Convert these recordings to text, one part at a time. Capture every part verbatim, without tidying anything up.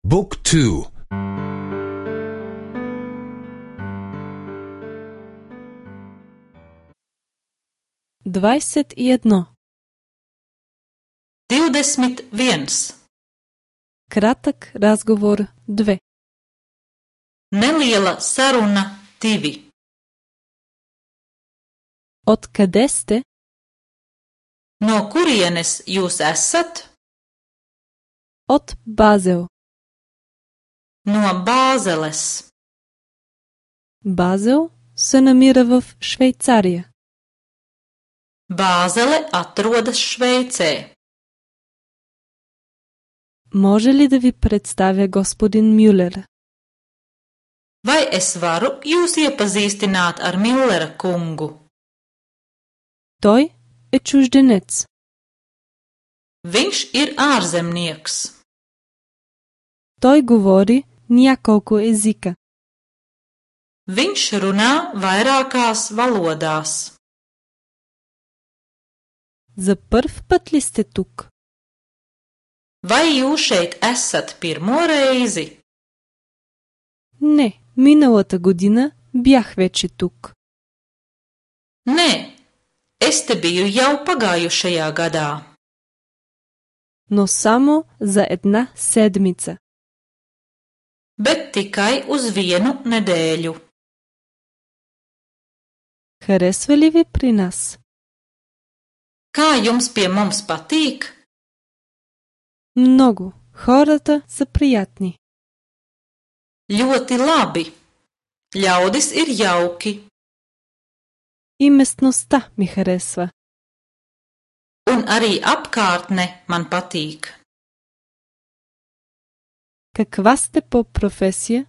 Book two. Dvadeset jedno. Divdesmit viens. Kratak razgovor dve. Neliela saruna divi. Od kade ste? No kurienes jūs esat? Od Basel. No Bāzeles. Basel se namira в Šveicarija. Bāzele atrodas Šveicē. Може ли да ви представя господин Мюлер? Vai es varu jūs iepazīstināt ar Millera kungu? Той е чужденец. Viņš ir ārzemnieks. Той говори няколко езика. Viņš runā vairākās valodās. За първ път ли сте тук? Vai jūs šeit esat pirmo reizi? Не, миналата година бях вече тук. Nē, es te biju jau pagājušajā gadā. Но само за една седмица. Bet tikai uz vienu nedēļu. Харесва ли ви при нас? Kā jums pie mums patīk? Много. Хората са приятни. Ļoti labi. Ļaudis ir jauki. И местността ми харесва. Un arī apkārtne man patīk. Каква сте по професия?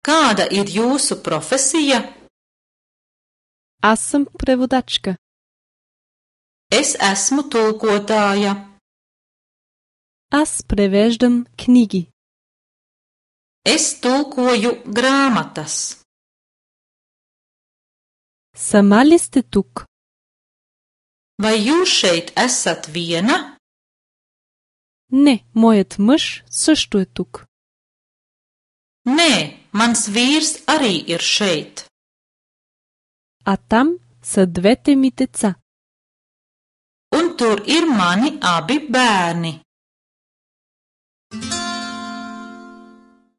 Kāda ir jūsu profesija? Аз съм преводачка. Es esmu tulkotāja. Аз превеждам книги. Es tulkoju grāmatas. Сама ли сте тук? Vai jūs šeit esat viena? Не, моят мъж също е тук. Nē, mans vīrs arī ir šeit. А там са двете ми деца. Un tur ir mani abi bērni.